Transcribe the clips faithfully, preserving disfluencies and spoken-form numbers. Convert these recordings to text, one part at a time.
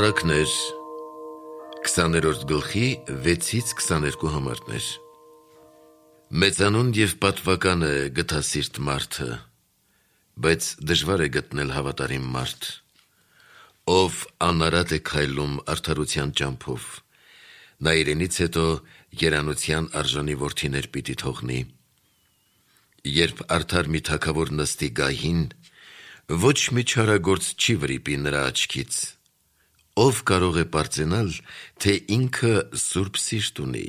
Առակներ քսաներորդ գլխի վեցից քսաներկու համարներ Մեծանուն և պատվական է գթասիրտ մարդը, բայց դժվար է գտնել հավատարիմ մարդ, ով անարատ է քայլում արդարության ճամփով, նա իրենից հետո երանության արժանի որդիներ պիտի թողնի։ Երբ արդար մի թագավոր նստի գահին, ոչ մի չարագործ չի վրիպի նրա աչքից, ով կարող է պարծենալ, թե ինքը սուրբ սիրտ ունի,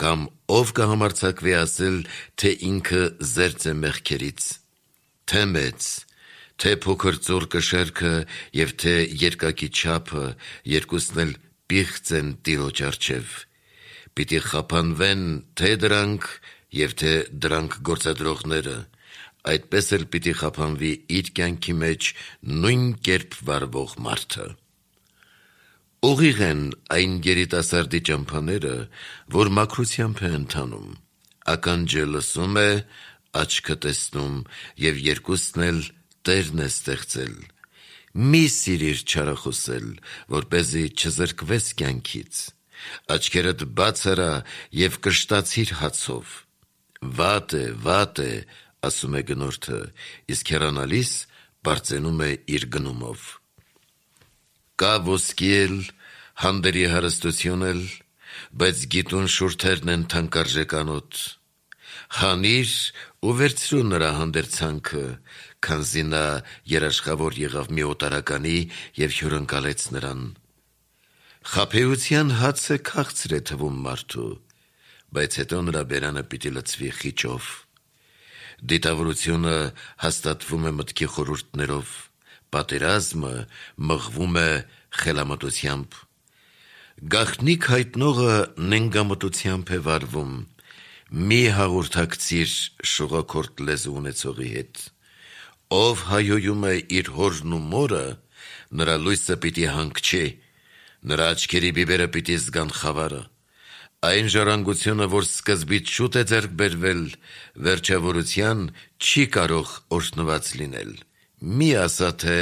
կամ ով կհամարձակվի ասել, թե ինքը զերծ է մեղքերից, թե մեծ, թե փոքր ծոռ շերքը և թե երկակի չափը, երկուսն էլ պիղծ են Տիրոջ առջև, պիտի խափանվեն թե դրանք և թե դրանք գործադրողները, այդպես էլ պիտի խափանվի իր կյանքի մեջ նույն կերպ վարվող մարդը։ Ուղիղ են այն երիտասարդի ճամփաները, որ մաքրությամբ է ընթանում, ականջը լսում է, աչքը տեսնում, և երկուսն էլ Տերն է ստեղծել։ Մի սիրիր չարախոսել, որպեսզի չզրկվես կյանքից, աչքերդ բաց արա և կշտացիր հացով։ Վատ է, վատ է, ասում է գնորդը, իսկ հեռանալիս պարծենում է իր գնումով։ Կա ոսկի էլ, հանդերի հարստություն էլ, բայց գիտուն շուրթերն են թանկարժեկանոտ։ Հանիր ու վերցրու նրա հանդերձանքը, քանզի նա երաշխավոր եղավ մի օտարականի և հյուրընկալեց նրան։ Խաբեության հացը քաղցր է թվում մարդու, բայց հետո նրա բերանը պիտի լցվի խիճով։ Դիտավորությունը հաստատվում է մտքի խորհուրդներով, պատերազմը մղվում է խելամտությամբ։ Գաղտնիք հայտնողը նենգամտությամբ է վարվում, մի հաղորդակցիր շողաքորթ լեզու ունեցողի հետ։ Ով հայհոյում է իր հորն ու մորը, նրա լույսը պիտի հանգչի, նրա աչքերի բիբերը պիտի զգան խավարը։ Այն ժառանգությունը, որ սկզբից շուտ է ձեռք բերվել, վերջավորության չի կարող օրհնված լինել։ Մի ասա, թե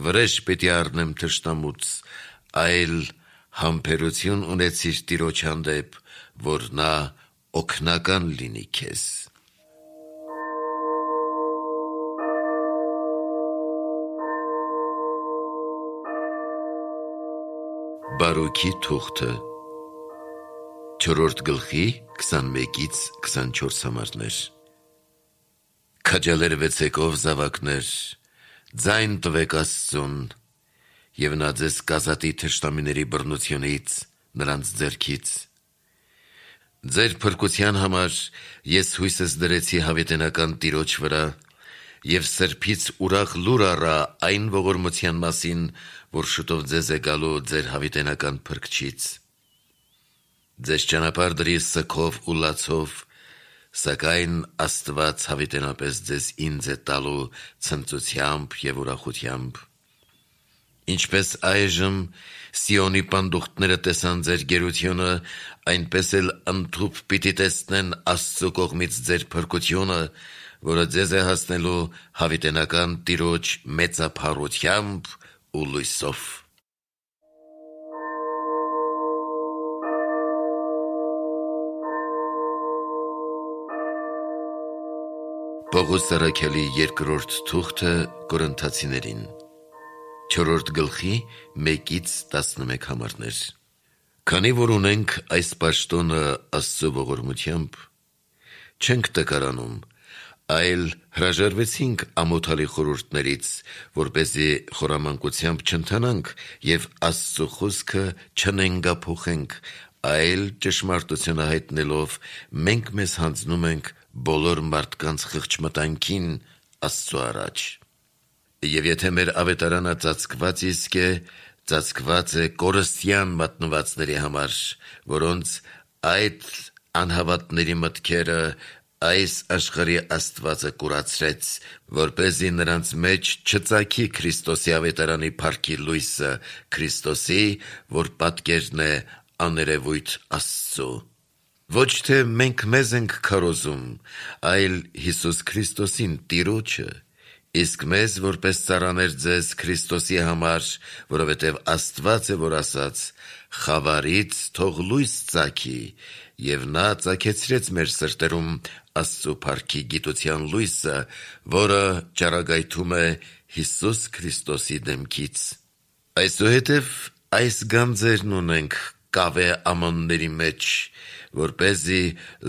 վրեժ պիտի առնեմ թշնամուց, այլ համբերություն ունեցիր Տիրոջ հանդեպ, որ նա օգնական լինի քեզ։ Բարոքի թուղթը չորրորդ գլխի քսանմեկից քսանչորս համարներ Քաջալերվեցեք ով զավակներ, ձայն տվեք Աստծուն, և նա ձեզ կազատի թշնամիների բռնությունից, նրանց ձեռքից։ Ձեր փրկության համար ես հույսս դրեցի հավիտենական Տիրոջ վրա, և սրբից ուրախ լուր առա այն ողորմության մասին, որ շուտով ձեզ է գալու ձեր հավիտենական Փրկչից։ Ձեզ ճանապարհ դրի սգով ու լացով, սակայն Աստված հավիտենապես ձեզ ինձ է տալու ցնծությամբ և ուրախությամբ։ Ինչպես այժմ Սիոնի պանդուխտները տեսան ձեր գերությունը, այնպես էլ ընդհուպ պիտի տեսնեն Աստծու կողմից ձեր փրկությունը, որը ձեզ է հասնելու հավիտենական Տիրոջ մեծափառությամբ ու լույսով։ Պողոս առաքյալի երկրորդ թուղթը Կորինթացիներին չորրորդ գլխի մեկից տասնմեկ համարներ Քանի որ ունենք այս պաշտոնը Աստծու ողորմությամբ, չենք տկարանում, այլ հրաժարվեցինք ամոթալի խորհուրդներից, որպեսզի խորամանկությամբ չընթանանք և Աստծու խոսքը չնենգափոխենք, այլ ճշմարտությունը հայտնելով մենք մեզ հանձնում ենք բոլոր մարդկանց խղճմտանքին Աստծու առաջ։ Եվ եթե մեր ավետարանը ծածկված իսկ է, ծածկված է կորստյան մատնվածների համար, որոնց այդ անհավատների մտքերը այս աշխարհի աստվածը կուրացրեց, որպեսզի նրանց մեջ չծագի Քրիստոսի ավետարանի փառքի լույսը, Քրիստոսի, որ պատկերն է աներևույթ Աստծու։ Ոչ թե մենք մեզ ենք քարոզում, այլ Հիսուս Քրիստոսին Տիրոջը, Իսկ մեզ որպես ծառաներ ձեզ Քրիստոսի համար, որովհետև Աստված է, որ ասաց. «Խավարից թող լույս ծագի», եւ նա ծագեցրեց մեր սրտերում Աստծու փառքի գիտության լույսը, որը ճառագայթում է Հիսուս Քրիստոսի դեմքից։ Այսուհետև այս գանձերն ունենք կավե ամանների մեջ, որպեսզի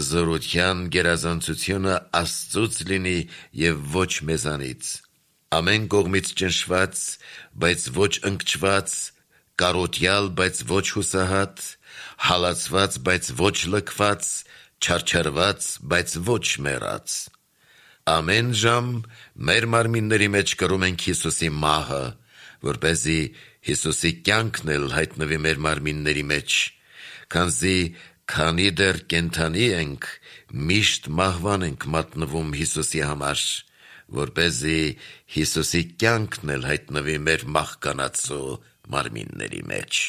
զորության գերազանցությունը Աստծուց լինի եւ ոչ մեզանից։ Ամեն կողմից ճնշված, բայց ոչ ընկճված, կարոտյալ, բայց ոչ հուսահատ, հալածված, բայց ոչ լքված, չարչարված, բայց ոչ մեռած։ Ամեն ժամ մեր մարմինների մեջ կրում ենք Հիսուսի մահը, որպեսզի Հիսուսի կյանքն էլ հայտնվի մեր մարմինների մեջ, քանզի քանի դեռ կենդանի ենք, միշտ մահվան ենք մատնվում Հիսուսի համար, որպեսզի Հիսուսի կյանքն էլ հայտնվի մեր մահկանացու մարմինների մեջ։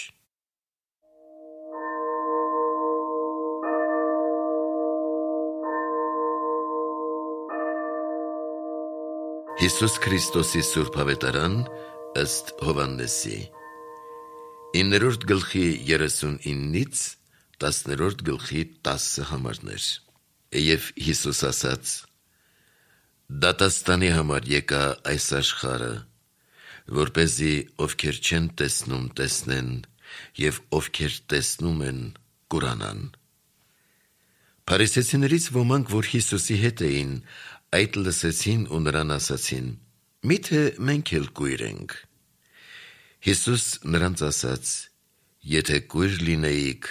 Հիսուս Քրիստոսի Սուրբ Ավետարան ըստ Հովհաննեսի իններորդ գլխի երեսունինից տասներորդ գլխի տասը համարներ։ Եվ Հիսուս ասաց. «Դատաստանի համար եկա այս աշխարհը, որպեսզի ովքեր չեն տեսնում տեսնեն, եւ ովքեր տեսնում են կուրանան»։ Փարիսեցիներից ոմանք, որ Հիսուսի հետ էին, այդ լսեցին ու նրան ասացին. «Միթե մենք էլ կույր ենք»։ Հիսուս նրանց ասաց. «Եթե կույր լինեիք,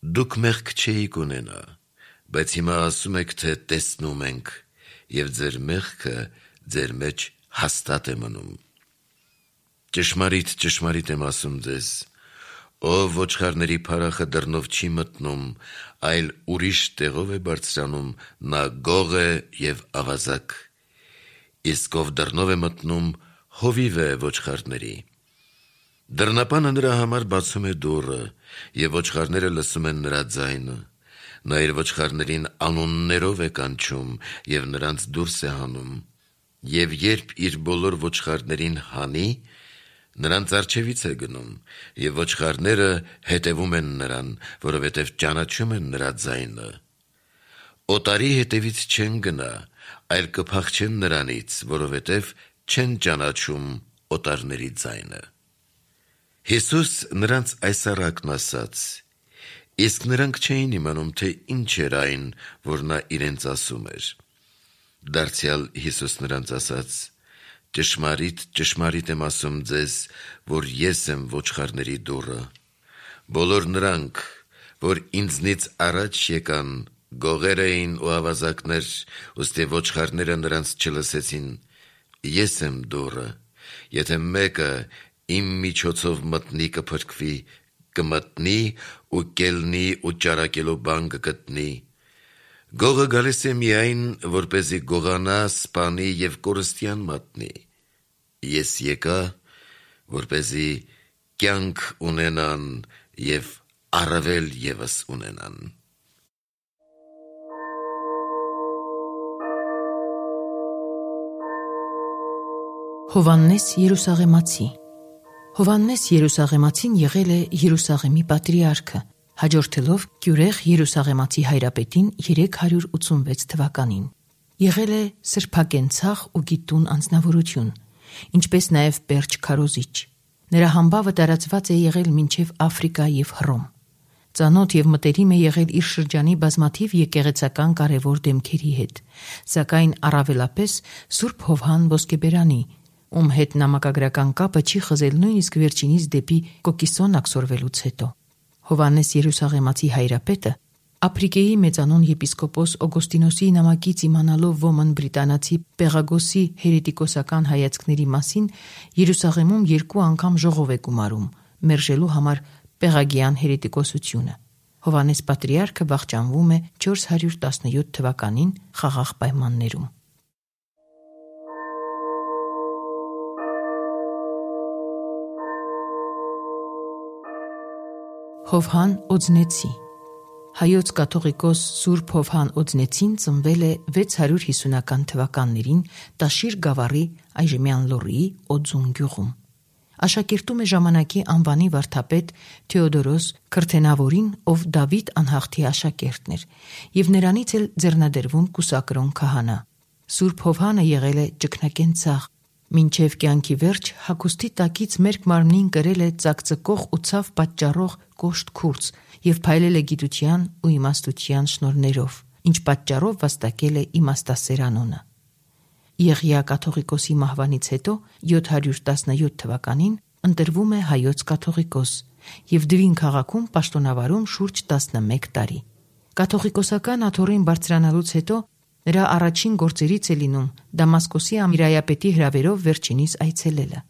դուք մեղք չէիք ունենա, բայց հիմա ասում եք, թե տեսնում ենք, եւ ձեր մեղքը ձեր մեջ հաստատ է մնում։ Ճշմարիտ, ճշմարիտ եմ ասում ձեզ, ով ոչխարների փարախը դռնով չի մտնում, այլ ուրիշ տեղով է բարձրանում, նա գող է եւ ավազակ, իսկ ով դռնով է մտնում, հովիվ է ոչխարների։ Դռնապանը նրա համար բացում է դուռը, եւ ոչխարները լսում են նրա ձայնը։ Նա իր ոչխարներին անուններով է կանչում եւ նրանց դուրս է հանում։ Եվ երբ իր բոլոր ոչխարներին հանի, նրանց առջևից է գնում, եւ ոչխարները հետևում են նրան, որովհետեւ ճանաչում են նրա ձայնը։ Օտարի հետևից չեն գնա, այլ կփախչեն նրանից, որովհետեւ չեն ճանաչում օտարների ձայնը։ Հիսուս նրանց այս առակն ասաց, իսկ նրանք չէին իմանում, թե ինչ էր այն, որ նա իրենց ասում էր։ Դարձյալ Հիսուս նրանց ասաց. «Ճշմարիտ, ճշմարիտ եմ ասում ձեզ, որ ես եմ ոչխարների դուռը։ Բոլոր նրանք, որ ինձնից առաջ եկան, գողեր էին ու ավազակներ, ուստի ոչխարները նրանց չլսեցին։ Ես եմ դուռը, եթե մեկը իմ միջոցով մտնի կփրկվի, կմտնի ու կելնի ու ճարակելու բան կգտնի։ Գողը գալիս է միայն, որպեսզի գողանա, սպանի եւ կորստյան մատնի։ Ես եկա, որպեսզի կյանք ունենան եւ առավել ևս ունենան»։ Հովհաննես Երուսաղեմացի Հովհաննես Երուսաղեմացին եղել է Երուսաղեմի պատրիարքը, հաջորդելով Կյուրեղ Երուսաղեմացի հայրապետին երեք հարյուր ութսունվեց թվականին։ Եղել է սրբակենցաղ ու գիտուն անձնավորություն, ինչպես նաև պերճ քարոզիչ։ Նրա համբավը տարածված է եղել մինչև Աֆրիկա եւ Հռոմ։ Ծանոթ եւ մտերիմ է եղել իր շրջանի բազմաթիվ եկեղեցական կարևոր դեմքերի հետ, սակայն առավելապես Սուրբ Հովհան Ոսկեբերանի, ում հետ նամակագրական կապը չի խզել նույնիսկ վերջինիս դեպի Կոկիսոն աքսորվելուց հետո։ Հովհաննես Երուսաղեմացի հայրապետը Ապրիկեի մեծանուն եպիսկոպոս Օգոստինոսի նամակից իմանալով ոմն բրիտանացի Պեղագոսի հերետիկոսական հայացքների մասին, Երուսաղեմում երկու անգամ ժողով է գումարում, մերժելու համար Պեղագիան հերետիկոսությունը։ Հովհաննես պատրիարքը վախճանվում է չորս հարյուր տասնյոթ թվականին խաղաղ պայմաններում։ Հովհան Օձնեցի Հայոց կաթողիկոս Սուրբ Հովհան Օձնեցին ծնվել է վեց հարյուր հիսունական թվականներին Տաշիր գավառի այժմյան Լոռիի Օձուն գյուղում։ Աշակերտում է ժամանակի անվանի վարդապետ Թեոդորոս Քրթենավորին, ով Դավիթ անհաղթի աշակերտն էր, եւ նրանից էլ ձեռնադրվում կուսակրոն քահանա։ Սուրբ Հովհանը եղել է ճգնակենցաղ, մինչև կյանքի վերջ հագուստի տակից մերկ մարմնին կրել է ծակծկող ու ցավ պատճառող կոշտ քուրձ եւ փայլել է գիտության ու իմաստության շնորհներով, ինչ պատճառով վաստակել է իմաստասեր անունը։ Եղիա կաթողիկոսի մահվանից հետո յոթ հարյուր տասնյոթ թվականին ընտրվում է հայոց կաթողիկոս եւ Դվին քաղաքում պաշտոնավարում շուրջ տասնմեկ տարի։ Կաթողիկոսական աթոռին բարձրանալուց հետո նրա առաջին գործերից է լինում Դամասկոսի ամիրայապետի հրավերով վերջինիս այցելելը։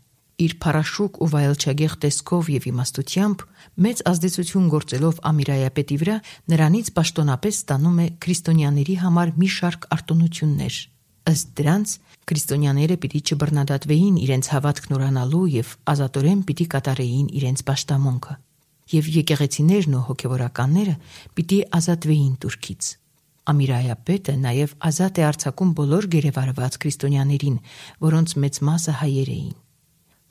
Իր փառաշուկ ու վայելչագեղ տեսքով եւ իմաստությամբ մեծ ազդեցություն գործելով ամիրայապետի վրա նրանից պաշտոնապես ստանում է քրիստոնյաների համար մի շարք արտոնություններ։ Ըստ դրանց քրիստոնյաները պիտի չբռնադատվեին իրենց հավատքն ուրանալու եւ ազատորեն պիտի կատարեին իրենց պաշտամունքը, եւ եկեղեցիներն ու հոգեվորականները պիտի ազատվեին турքից։ Ամիրայապետը նաեւ ազատ է արձակում բոլոր գերեվարված քրիստոնյաներին, որոնց մեծ մասը հայեր էին։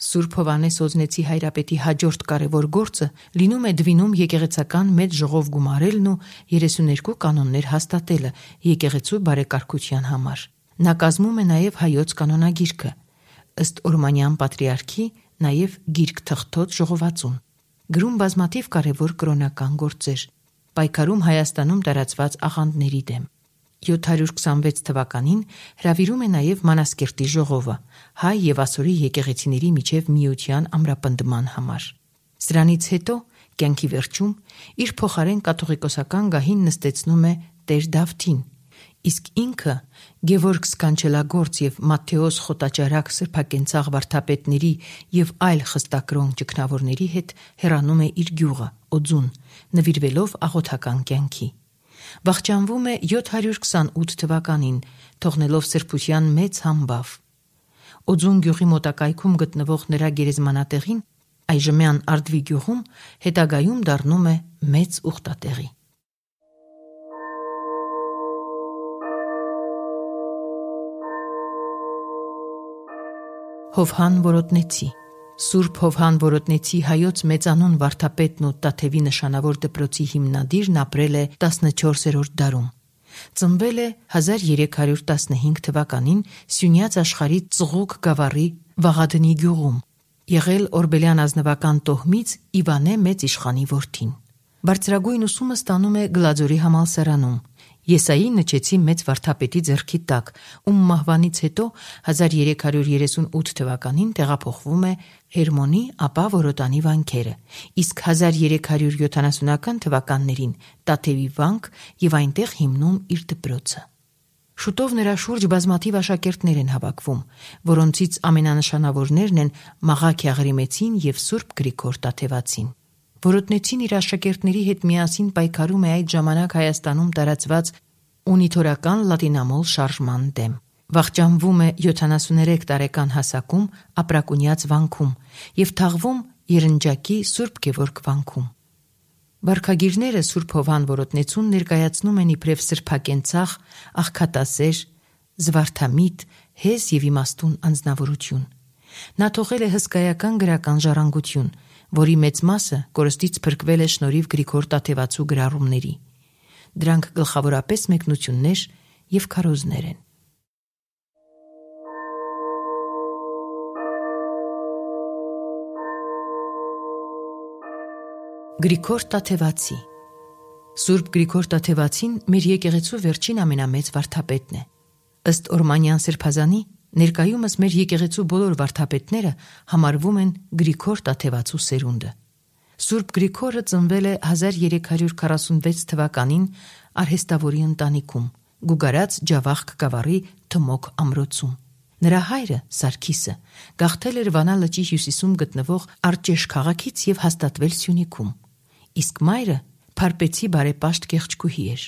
Սուրբ Հովհաննես Օձնեցի հայրապետի հաջորդ կարևոր գործը լինում է Դվինում եկեղեցական մեծ ժողով գումարելն ու երեսուներկու կանոններ հաստատելը եկեղեցու բարեկարգության համար։ Նա կազմում է նաև հայոց կանոնագիրքը, ըստ Օրմանյան պատրիարքի նաև գիրք թղթոց ժողովածուն, գրում բազմաթիվ կարևոր կրոնական գործեր, պայքարում Հայաստանում տարածված աղանդների դեմ։ յոթ հարյուր քսանվեց թվականին հրավիրում է նաև Մանասկերտի ժողովը հայ եւ ասորի եկեղեցիների միջև միության ամրապնդման համար։ Սրանից հետո կյանքի վերջում իր փոխարեն կաթողիկոսական գահին նստեցնում է Տեր Դավթին, իսկ ինքը Գևորգ Սքանչելագործ եւ Մատթեոս Խոտաճարակ սրբակենցաղ վարդապետների եւ այլ խստակրոն ճգնավորների հետ հեռանում է իր գյուղը Օձուն, նվիրվելով աղոթական կյանքի։ Վախճանվում է յոթ հարյուր քսանութ թվականին, թողնելով սրբության մեծ համբավ։ Օձուն գյուղի մոտակայքում գտնվող նրա գերեզմանատեղին, այժմյան Արդվի գյուղում, հետագայում դառնում է մեծ ուխտատեղի։ Հովհան Որոտնեցի Սուրբ Հովհան Որոտնեցի հայոց մեծանուն վարդապետն ու Տաթևի նշանավոր դպրոցի հիմնադիրն ապրել է տասնչորսերորդ դարում։ Ծնվել է հազար երեք հարյուր տասնհինգ թվականին Սյունյաց աշխարհի Ծղուկ գավառի Վաղադնի գյուղում, եղել Օրբելյան ազնվական տոհմից Իվանե մեծ իշխանի որդին։ Բարձրագույն ուսումը ստանում է Գլաձորի համալսարանում, Եսայի Նչեցի մեծ վարդապետի ձեռքի տակ, ում մահվանից հետո հազար երեք հարյուր երեսունութ թվականին տեղափոխվում է Հերմոնի, ապա Որոտանի վանքերը, իսկ հազար երեք հարյուր յոթանասունական թվականներին Տաթևի վանք եւ այնտեղ հիմնում իր դպրոցը։ Շուտով նրա շուրջ բազմաթիվ աշակերտներ են հավաքվում, որոնցից ամենանշանավորներն են Մաղաք Աղրիմեցին եւ Սուրբ Գրիգոր Տաթևացին։ Որոտնեցին իր աշակերտների հետ միասին պայքարում է այդ ժամանակ Հայաստանում տարածված ունիթորական լատինամոլ շարժման դեմ։ Վախճանվում է յոթանասուներեք տարեկան հասակում Ապրակունյաց վանքում եւ թաղվում Երնջակի Սուրբ Գևորգ վանքում։ Վարքագիրները Սուրբ Հովհան Որոտնեցուն ներկայացնում են իբրև սրբակենցաղ, աղքատասեր, զվարթամիտ, հեզ եւ իմաստուն անձնավորություն։ Նա թողել է հսկայական գրական ժառանգություն, որի մեծ մասը կորստից փրկվել է շնորհիվ Գրիգոր Տաթևացու գրառումների։ Դրանք գլխավորապես մեկնություններ եւ քարոզներ են։ Գրիգոր Տաթևացի Սուրբ Գրիգոր Տաթևացին մեր եկեղեցու վերջին ամենամեծ վարդապետն է։ Ըստ Օրմանյան սրբազանի ներկայումս մեր եկեղեցու բոլոր վարդապետները համարվում են Գրիգոր Տաթևացու սերունդը։ Սուրբ Գրիգորը ծնվել է հազար երեք հարյուր քառասունվեց թվականին արհեստավորի ընտանիքում, Գուգարաց Ջավախք գավառի Թմոք ամրոցում։ Նրա հայրը Սարգիսը գաղթել էր Վանա լճի հյուսիսում գտնվող Արջեշ քաղաքից եւ հաստատվել Սյունիքում, իսկ մայրը Փարպեցի բարեպաշտ կեղճկուհի էր։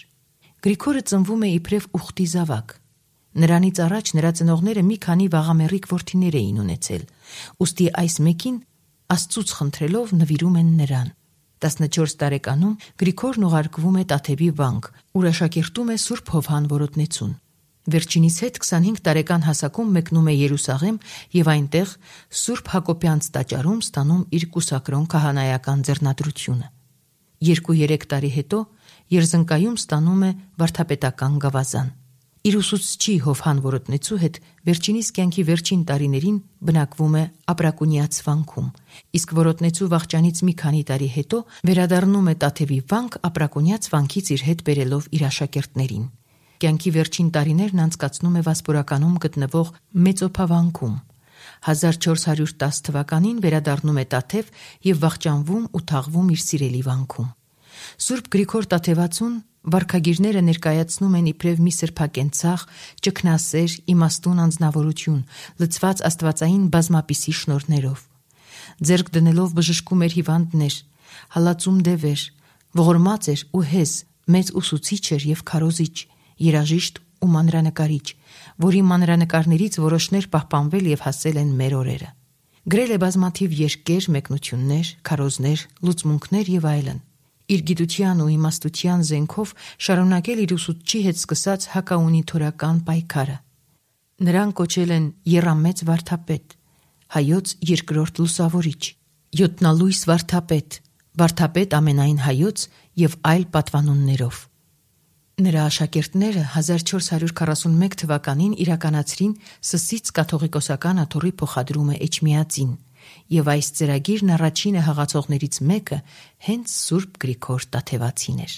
Գրիգորը ծնվում է իբրև ուխտի զավակ։ Նրանից առաջ նրա ծնողները մի քանի վաղամեռիկ որդիներ էին ունեցել, ուստի այս մեկին Աստծուց խնդրելով նվիրում են նրան։ տասնչորս տարեկանում Գրիգորն ուղարկվում է Տաթևի վանք, ուր աշակերտում է Սուրբ Հովհան Որոտնեցուն։ Վերջինիս հետ քսանհինգ տարեկան հասակում մեկնում է Երուսաղեմ եւ այնտեղ Սուրբ Հակոբյանց տաճարում ստանում իր կուսակրոն քահանայական ձեռնադրությունը։ Երկու-երեք տարի հետո Երզնկայում ստանում է վարդապետական գավազան։ Իր ուսուցչի Հովհան Որոտնեցու հետ վերջինիս կյանքի վերջին տարիներին բնակվում է Ապրակունյաց վանքում, իսկ Որոտնեցու վախճանից մի քանի տարի հետո վերադառնում է Տաթևի վանք Ապրակունյաց վանքից իր հետ բերելով իր աշակերտներին։ Կյանքի վերջին տարիներն անցկացնում է Վասպուրականում գտնվող Մեծոփավանքում։ հազար չորս հարյուր տաս թվականին վերադառնում է Տաթև եւ վախճանվում ու թաղվում իր սիրելի վանքում։ Սուրբ Գրիգոր Տաթևացուն վարքագիրները ներկայացնում են իբրև մի սրբակենցաղ, ճգնասեր, իմաստուն անձնավորություն, լցված աստվածային բազմապիսի շնորհներով։ Ձեռք դնելով բժշկում էր հիվանդներ, հալածում դևեր, ողորմած էր ու հեզ, մեծ ուսուցիչ էր եւ քարոզիչ, երաժիշտ ու մանրանկարիչ, որի մանրանկարներից որոշներ պահպանվել եւ հասել են մեր օրերը։ Գրել է բազմաթիվ երկեր, մեկնություններ, քարոզներ, լուծմունքներ եւ այլն։ Իր գիտության ու իմաստության զենքով շարունակել իր ուսուցչի հետ սկսած հակաունիթորական պայքարը։ Նրան կոչել են Եռամեծ վարդապետ, հայոց երկրորդ լուսավորիչ, յոթնալույս վարդապետ, վարդապետ ամենայն հայոց եւ այլ պատվանուններով։ Նրա աշակերտները հազար չորս հարյուր քառասունմեկ թվականին իրականացրին Սսից կաթողիկոսական աթոռի փոխադրումը Էջմիածին, եւ այս ծրագիրն առաջինը հղացողներից մեկը հենց Սուրբ Գրիգոր Տաթևացին էր։